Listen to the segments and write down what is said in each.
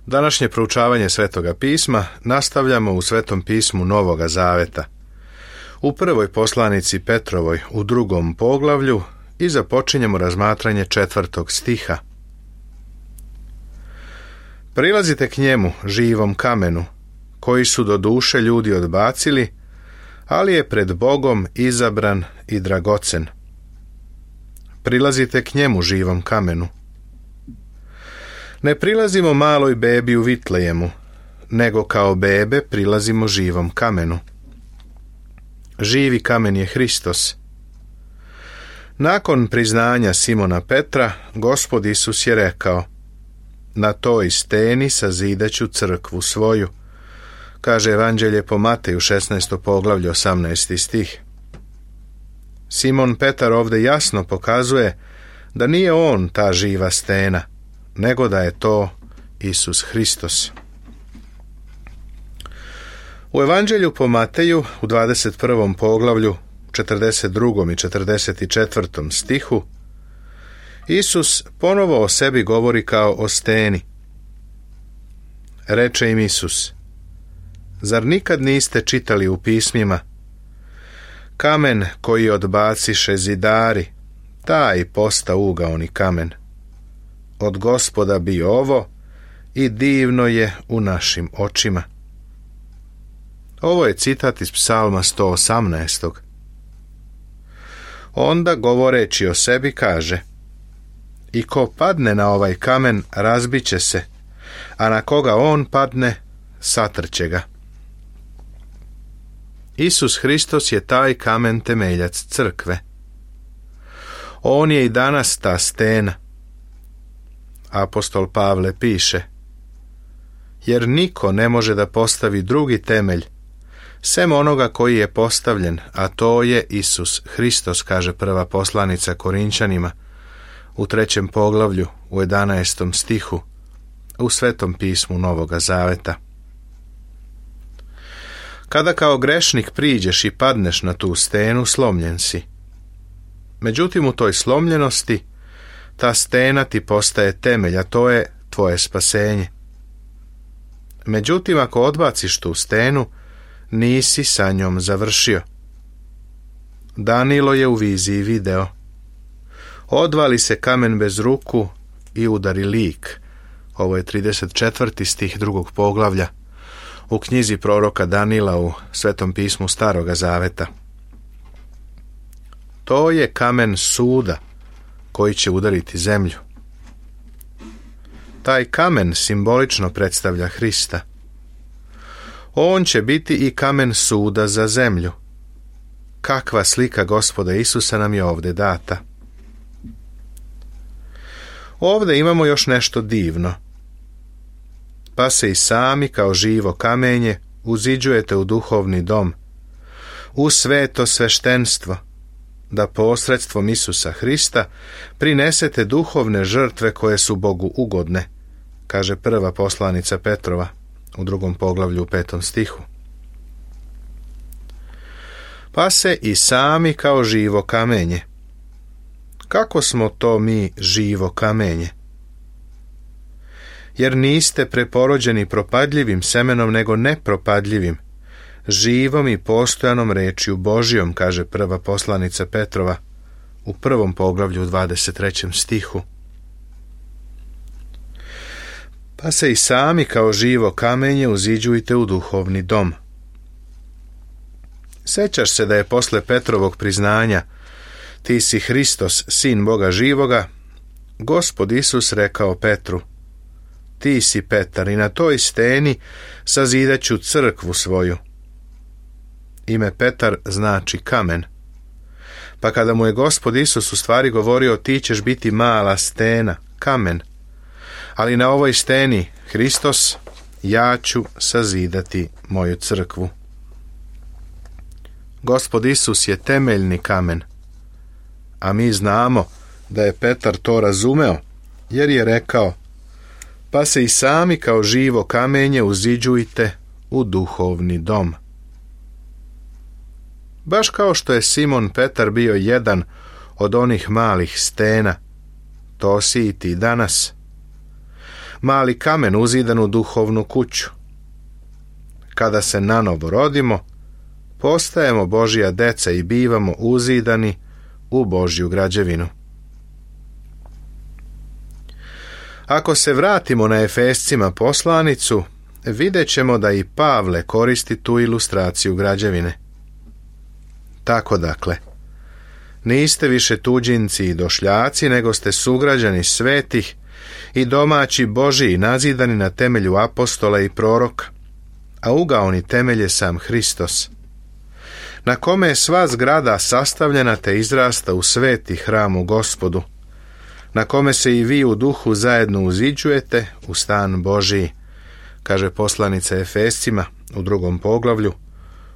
Današnje proučavanje Svetoga pisma nastavljamo u Svetom pismu Novoga Zaveta. U prvoj poslanici Petrovoj u 2. poglavlju i započinjemo razmatranje 4. stiha. Prilazite k njemu, živom kamenu, koji su do duše ljudi odbacili, ali je pred Bogom izabran i dragocen. Prilazite k njemu, živom kamenu. Ne prilazimo maloj bebi u Vitlejemu, nego kao bebe prilazimo živom kamenu. Živi kamen je Hristos. Nakon priznanja Simona Petra, Gospod Isus je rekao: na toj steni sazidaću crkvu svoju, kaže Evanđelje po Mateju 16. poglavlje 18. stih. Simon Petar ovdje jasno pokazuje da nije on ta živa stena, nego da je to Isus Hristos. U Evanđelju po Mateju u 21. poglavlju 42. i 44. stihu Isus ponovo o sebi govori kao o steni. Reče im Isus: zar nikad niste čitali u pismima: kamen koji odbaciše zidari, taj posta ugaoni kamen. Od Gospoda bi ovo i divno je u našim očima. Ovo je citat iz Psalma 118. Onda, govoreći o sebi, kaže: i ko padne na ovaj kamen, razbiće se, a na koga on padne, satrće ga. Isus Hristos je taj kamen temeljac crkve. On je i danas ta stena. Apostol Pavle piše: jer niko ne može da postavi drugi temelj sem onoga koji je postavljen, a to je Isus Hristos, kaže prva poslanica Korinčanima u 3. poglavlju u 11. stihu u Svetom pismu Novoga Zaveta. Kada kao grešnik priđeš i padneš na tu stenu, slomljen si. Međutim, u toj slomljenosti ta stena ti postaje temelj, a to je tvoje spasenje. Međutim, ako odbaciš tu stenu, nisi sa njom završio. Danilo je u viziji video: odvali se kamen bez ruku i udari lik. Ovo je 34. stih 2. poglavlja u knjizi proroka Danila u Svetom pismu Staroga Zaveta. To je kamen suda koji će udariti zemlju. Taj kamen simbolično predstavlja Hrista. On će biti i kamen suda za zemlju. Kakva slika Gospoda Isusa nam je ovdje data. Ovdje imamo još nešto divno. Pa se i sami kao živo kamenje uziđujete u duhovni dom, u sveto sveštenstvo, da posredstvom Isusa Hrista prinesete duhovne žrtve koje su Bogu ugodne, kaže prva poslanica Petrova u 2. poglavlju u 5. stihu. Pa se i sami kao živo kamenje. Kako smo to mi živo kamenje? Jer niste preporođeni propadljivim semenom, nego nepropadljivim, živom i postojanom rečju Božjom, kaže prva poslanica Petrova u 1. poglavlju u 23. stihu. Pa se i sami kao živo kamenje uziđujte u duhovni dom. Sećaš se da je posle Petrovog priznanja: ti si Hristos, sin Boga živoga, Gospod Isus rekao Petru: ti si Petar i na toj steni sazidaću crkvu svoju. Ime Petar znači kamen. Pa kada mu je Gospod Isus u stvari govorio: ti ćeš biti mala stena, kamen, ali na ovoj steni, Hristos, ja ću sazidati moju crkvu. Gospod Isus je temeljni kamen, a mi znamo da je Petar to razumeo, jer je rekao: pa se i sami kao živo kamenje uziđujte u duhovni dom. Baš kao što je Simon Petar bio jedan od onih malih stena, to si i ti danas. mali kamen uzidan u duhovnu kuću. Kada se nanovo rodimo, postajemo Božja deca i bivamo uzidani u Božju građevinu. Ako se vratimo na Efescima poslanicu, vidjet ćemo da i Pavle koristi tu ilustraciju građevine. Tako dakle, niste više tuđinci i došljaci, nego ste sugrađani svetih i domaći Božiji, nazidani na temelju apostola i proroka, a ugaoni temelj je sam Hristos, na kome je sva zgrada sastavljena te izrasta u sveti hram u Gospodu, na kome se i vi u duhu zajedno uziđujete u stan Božiji, kaže poslanica Efescima u 2. poglavlju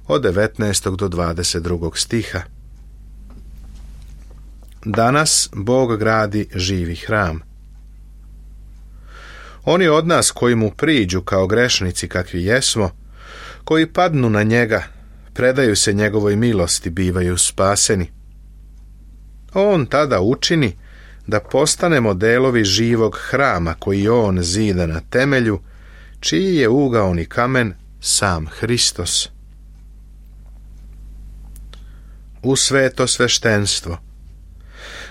od 19. do 22. stiha. Danas Bog gradi živi hram. Oni od nas koji mu priđu kao grešnici kakvi jesmo, koji padnu na njega, predaju se njegovoj milosti, bivaju spaseni. On tada učini da postanemo delovi živog hrama koji on zida na temelju, čiji je ugaoni kamen sam Hristos. U sveto sveštenstvo,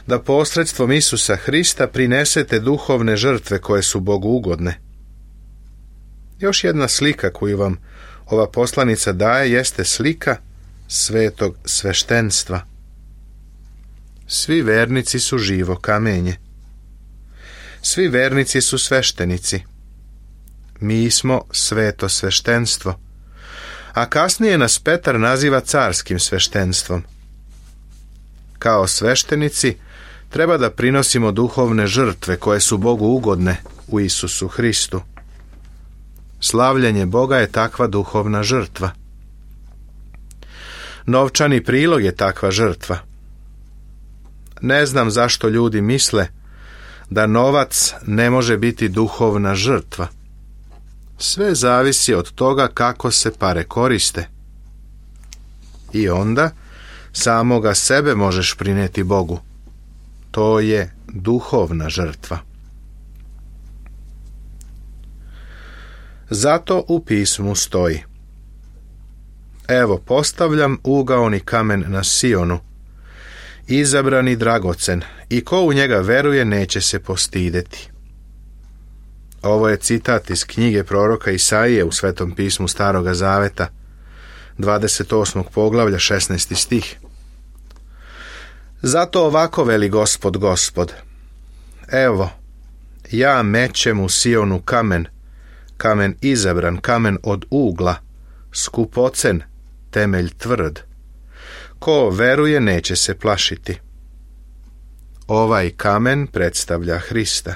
da posredstvom Isusa Hrista prinesete duhovne žrtve koje su Bogu ugodne. Još jedna slika koju vam ova poslanica daje jeste slika svetog sveštenstva. Svi vernici su živo kamenje. Svi vernici su sveštenici. Mi smo sveto sveštenstvo, a kasnije nas Petar naziva carskim sveštenstvom. Kao sveštenici treba da prinosimo duhovne žrtve koje su Bogu ugodne u Isusu Hristu. Slavljenje Boga je takva duhovna žrtva. Novčani prilog je takva žrtva. Ne znam zašto ljudi misle da novac ne može biti duhovna žrtva. Sve zavisi od toga kako se pare koriste. I onda samoga sebe možeš prinijeti Bogu. To je duhovna žrtva. Zato u pismu stoji: evo, postavljam ugaoni kamen na Sionu, izabrani dragocen, i ko u njega veruje neće se postideti. Ovo je citat iz knjige proroka Isaije u Svetom pismu Staroga Zaveta, 28. poglavlja, 16. stih. Zato ovako veli Gospod, Gospod: evo, ja mećem u Sionu kamen, kamen izabran, kamen od ugla, skupocen, temelj tvrd. Ko veruje neće se plašiti. Ovaj kamen predstavlja Hrista.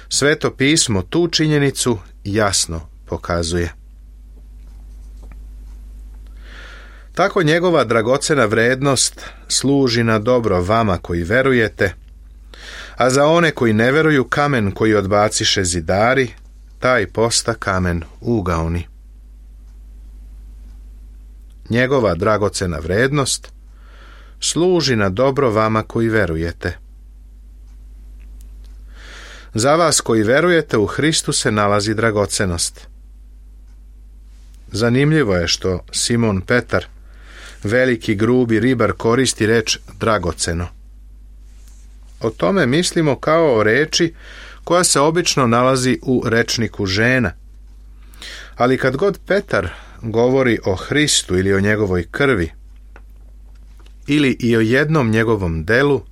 Sveto pismo tu činjenicu jasno pokazuje. Tako njegova dragocena vrednost služi na dobro vama koji verujete, a za one koji ne veruju kamen koji odbaciše zidari, taj posta kamen ugaoni. Njegova dragocena vrednost služi na dobro vama koji verujete. Za vas koji verujete u Hristu se nalazi dragocenost. Zanimljivo je što Simon Petar, veliki grubi ribar, koristi reč dragoceno. O tome mislimo kao o reči koja se obično nalazi u rečniku žena. Ali kad god Petar govori o Hristu ili o njegovoj krvi, ili i o jednom njegovom delu,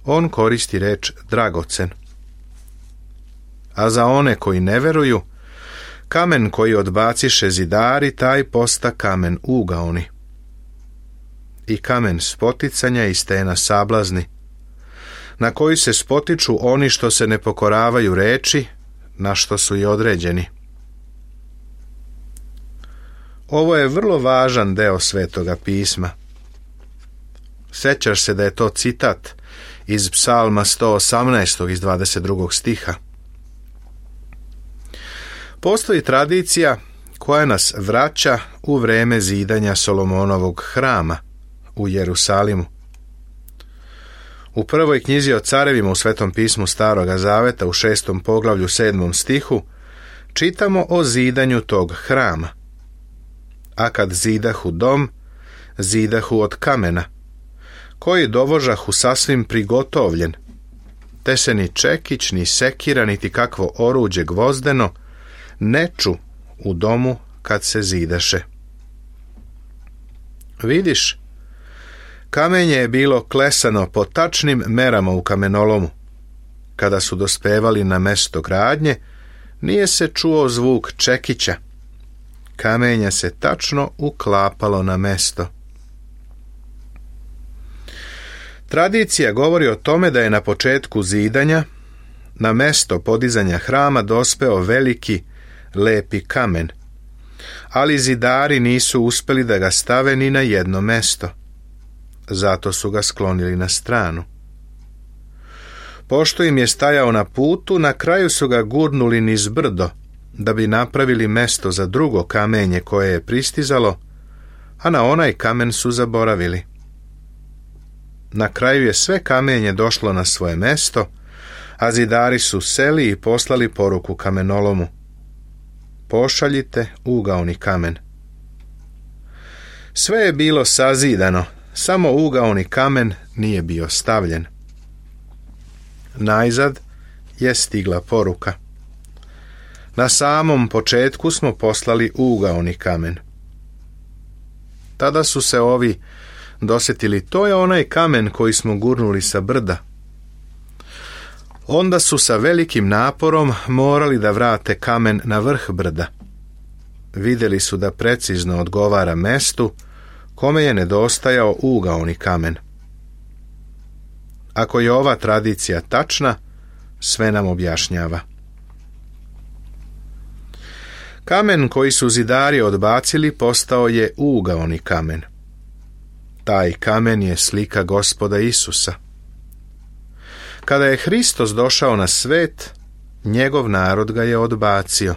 on koristi reč dragocen. A za one koji ne veruju, kamen koji odbaciše zidari, taj posta kamen ugaoni. I kamen spoticanja i stena sablazni, na koji se spotiču oni što se ne pokoravaju reči, na što su i određeni. Ovo je vrlo važan deo Svetoga pisma. Sjećaš se da je to citat iz Psalma 118. iz 22. stiha. Postoji tradicija koja nas vraća u vreme zidanja Solomonovog hrama u Jerusalimu. U prvoj knjizi o carevima u Svetom pismu Staroga Zaveta u 6. poglavlju 7. stihu čitamo o zidanju tog hrama. A kad zidahu dom, zidahu od kamena, koji dovožahu sasvim prigotovljen, te se ni čekić, ni sekira, niti kakvo oruđe gvozdeno ne ču u domu kad se zidaše. Vidiš, kamenje je bilo klesano po tačnim merama u kamenolomu. Kada su dospevali na mesto gradnje, nije se čuo zvuk čekića. Kamenje se tačno uklapalo na mesto. Tradicija govori o tome da je na početku zidanja na mesto podizanja hrama dospeo veliki, lepi kamen, ali zidari nisu uspjeli da ga stave ni na jedno mesto. Zato su ga sklonili na stranu. Pošto im je stajao na putu, na kraju su ga gurnuli niz brdo, da bi napravili mesto za drugo kamenje koje je pristizalo, a na onaj kamen su zaboravili. Na kraju je sve kamenje došlo na svoje mesto, a zidari su seli i poslali poruku kamenolomu: pošaljite ugaoni kamen. Sve je bilo sazidano, samo ugaoni kamen nije bio stavljen. Najzad je stigla poruka: na samom početku smo poslali ugaoni kamen. Tada su se ovi dosjetili: to je onaj kamen koji smo gurnuli sa brda. Onda su sa velikim naporom morali da vrate kamen na vrh brda. Vidjeli su da precizno odgovara mestu kome je nedostajao ugaoni kamen. Ako je ova tradicija tačna, sve nam objašnjava. Kamen koji su zidari odbacili postao je ugaoni kamen. Taj kamen je slika Gospoda Isusa. Kada je Hristos došao na svet, njegov narod ga je odbacio.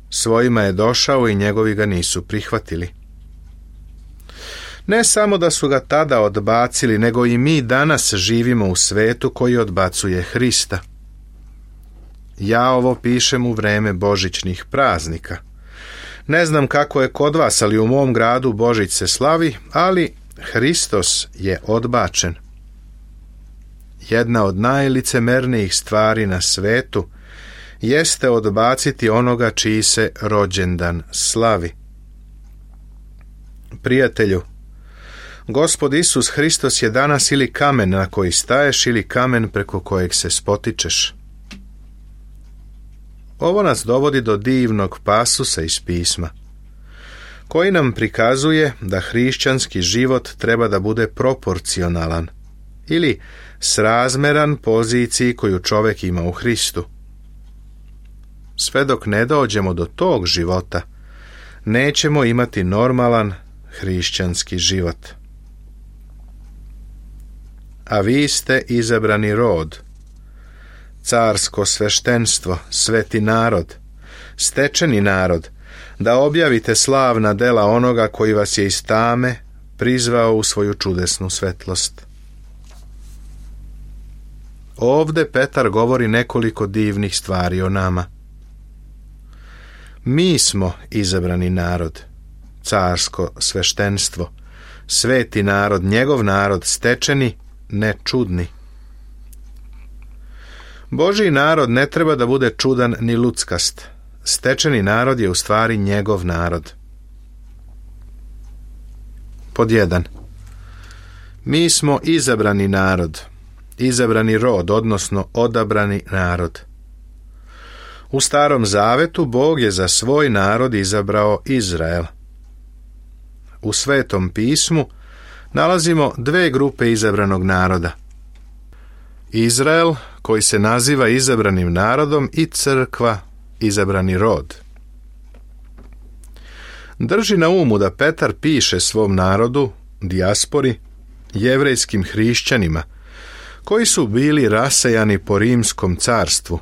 Svojima je došao i njegovi ga nisu prihvatili. Ne samo da su ga tada odbacili, nego i mi danas živimo u svetu koji odbacuje Hrista. Ja ovo pišem u vreme božićnih praznika. Ne znam kako je kod vas, ali u mom gradu Božić se slavi, ali Hristos je odbačen. Jedna od najlicemernijih stvari na svetu jeste odbaciti onoga čiji se rođendan slavi. Prijatelju, Gospod Isus Hristos je danas ili kamen na koji staješ ili kamen preko kojeg se spotičeš. Ovo nas dovodi do divnog pasusa iz pisma, koji nam prikazuje da hrišćanski život treba da bude proporcionalan ili srazmeran poziciji koju čovjek ima u Hristu. Sve dok ne dođemo do tog života, nećemo imati normalan hrišćanski život. A vi ste izabrani rod, carsko sveštenstvo, sveti narod, stečeni narod, da objavite slavna dela onoga koji vas je iz tame prizvao u svoju čudesnu svetlost. Ovde Petar govori nekoliko divnih stvari o nama. Mi smo izabrani narod, carsko sveštenstvo, sveti narod, njegov narod, stečeni, ne čudni. Božji narod ne treba da bude čudan ni luckast. Stečeni narod je u stvari njegov narod. Pod 1. Mi smo izabrani narod, izabrani rod, odnosno odabrani narod. U Starom Zavetu Bog je za svoj narod izabrao Izrael. U Svetom pismu nalazimo dve grupe izabranog naroda. Izrael, koji se naziva izabranim narodom, i crkva, izabrani rod. Drži na umu da Petar piše svom narodu, dijaspori, jevrejskim hrišćanima, koji su bili rasejani po rimskom carstvu,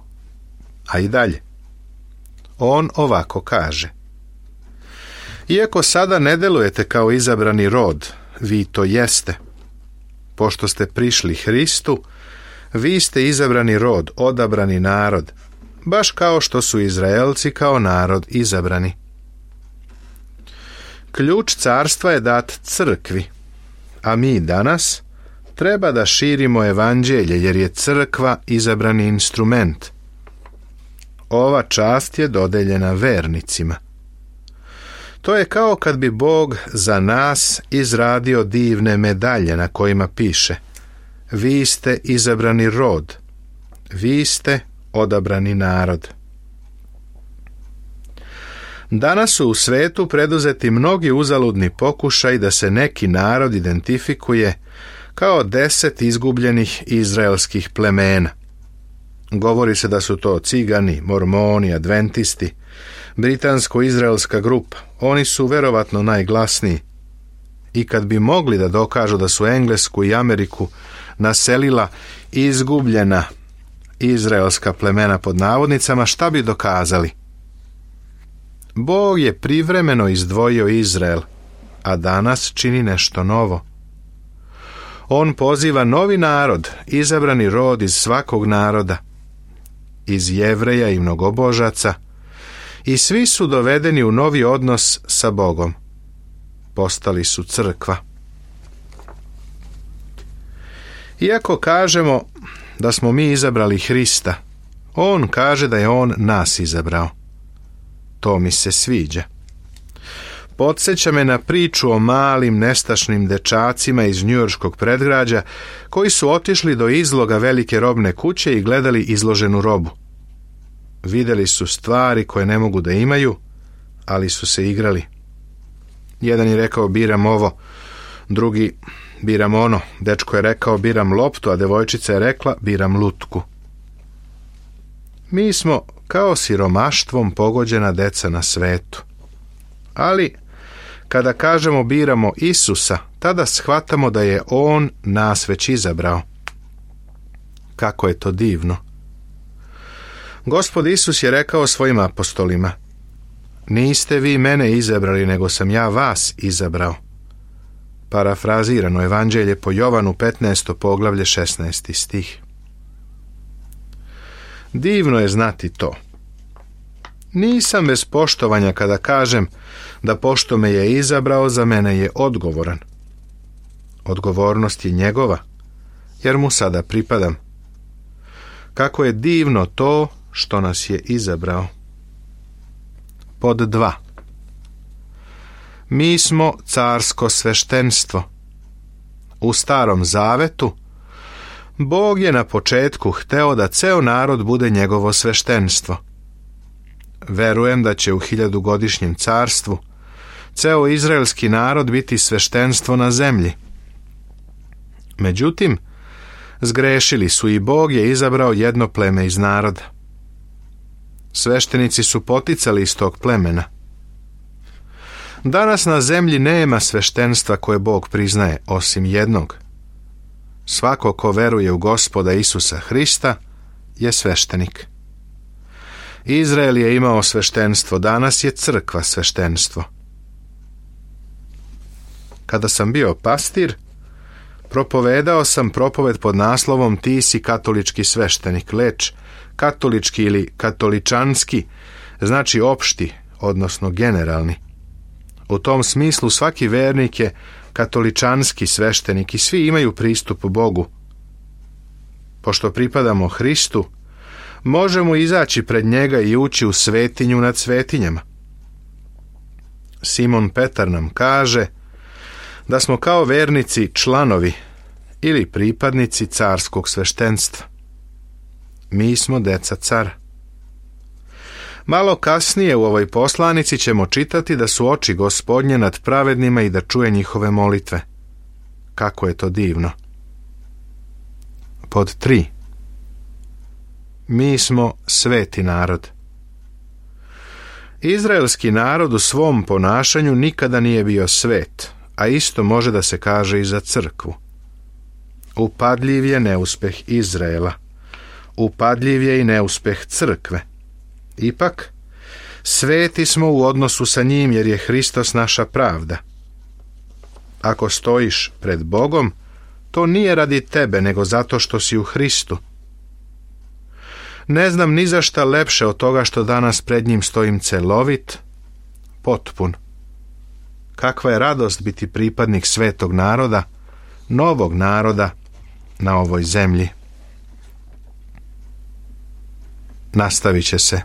a i dalje. On ovako kaže: iako sada ne delujete kao izabrani rod, vi to jeste. pošto ste prišli Hristu, vi ste izabrani rod, odabrani narod, baš kao što su Izraelci kao narod izabrani. Ključ carstva je dat crkvi, a mi danas treba da širimo evanđelje, jer je crkva izabrani instrument. Ova čast je dodeljena vernicima. To je kao kad bi Bog za nas izradio divne medalje na kojima piše: vi ste izabrani rod, vi ste odabrani narod. Danas su u svetu preduzeti mnogi uzaludni pokušaj da se neki narod identifikuje kao 10 izgubljenih izraelskih plemena. Govori se da su to cigani, mormoni, adventisti, britansko-izraelska grupa. Oni su verovatno najglasniji. I kad bi mogli da dokažu da su Englesku i Ameriku naselila izgubljena izraelska plemena pod navodnicama, šta bi dokazali? Bog je privremeno izdvojio Izrael, a danas čini nešto novo. On poziva novi narod, izabrani rod iz svakog naroda, iz Jevreja i mnogobožaca, i svi su dovedeni u novi odnos sa Bogom. Postali su crkva. Iako kažemo da smo mi izabrali Hrista, on kaže da je on nas izabrao. To mi se sviđa. Podsjeća me na priču o malim nestašnim dečacima iz njujorškog predgrađa koji su otišli do izloga velike robne kuće i gledali izloženu robu. Vidjeli su stvari koje ne mogu da imaju, ali su se igrali. Jedan je rekao biram ovo, drugi biram ono. Dečko je rekao biram loptu, a devojčica je rekla biram lutku. Mi smo kao siromaštvom pogođena deca na svetu. Ali kada kažemo biramo Isusa, tada shvatamo da je on nas već izabrao. Kako je to divno. Gospod Isus je rekao svojim apostolima: niste vi mene izabrali, nego sam ja vas izabrao. Parafrazirano evanđelje po Jovanu 15. poglavlje 16. stih. Divno je znati to. Nisam bez poštovanja kada kažem da pošto me je izabrao, za mene je odgovoran. Odgovornost je njegova, jer mu sada pripadam. Kako je divno to što nas je izabrao. Pod 2. Mi smo carsko sveštenstvo. U Starom Zavetu Bog je na početku hteo da ceo narod bude njegovo sveštenstvo. Verujem da će u 1000-godišnjem carstvu ceo izraelski narod biti sveštenstvo na zemlji. Međutim, zgrešili su i Bog je izabrao jedno pleme iz naroda. Sveštenici su poticali iz tog plemena. Danas na zemlji nema sveštenstva koje Bog priznaje, osim jednog. Svako ko veruje u Gospoda Isusa Hrista je sveštenik. Izrael je imao sveštenstvo, danas je crkva sveštenstvo. Kada sam bio pastir, propovedao sam propoved pod naslovom Ti si katolički sveštenik, leč katolički ili katoličanski znači opšti, odnosno generalni. U tom smislu svaki vernik je katoličanski sveštenik i svi imaju pristup Bogu. Pošto pripadamo Hristu, možemo izaći pred njega i ući u svetinju nad svetinjama. Simon Petar nam kaže da smo kao vernici članovi ili pripadnici carskog sveštenstva. Mi smo deca cara. Malo kasnije u ovoj poslanici ćemo čitati da su oči Gospodnje nad pravednima i da čuje njihove molitve. Kako je to divno. Pod 3. Mi smo sveti narod. Izraelski narod u svom ponašanju nikada nije bio svet, a isto može da se kaže i za crkvu. Upadljiv je neuspeh Izraela. Upadljiv je i neuspeh crkve. Ipak, sveti smo u odnosu sa njim jer je Hristos naša pravda. Ako stojiš pred Bogom, To nije radi tebe, nego zato što si u Hristu. Ne znam ni za šta lepše od toga što danas pred njim stojim celovit, potpun. Kakva je radost biti pripadnik svetog naroda, novog naroda na ovoj zemlji. Nastavit će se.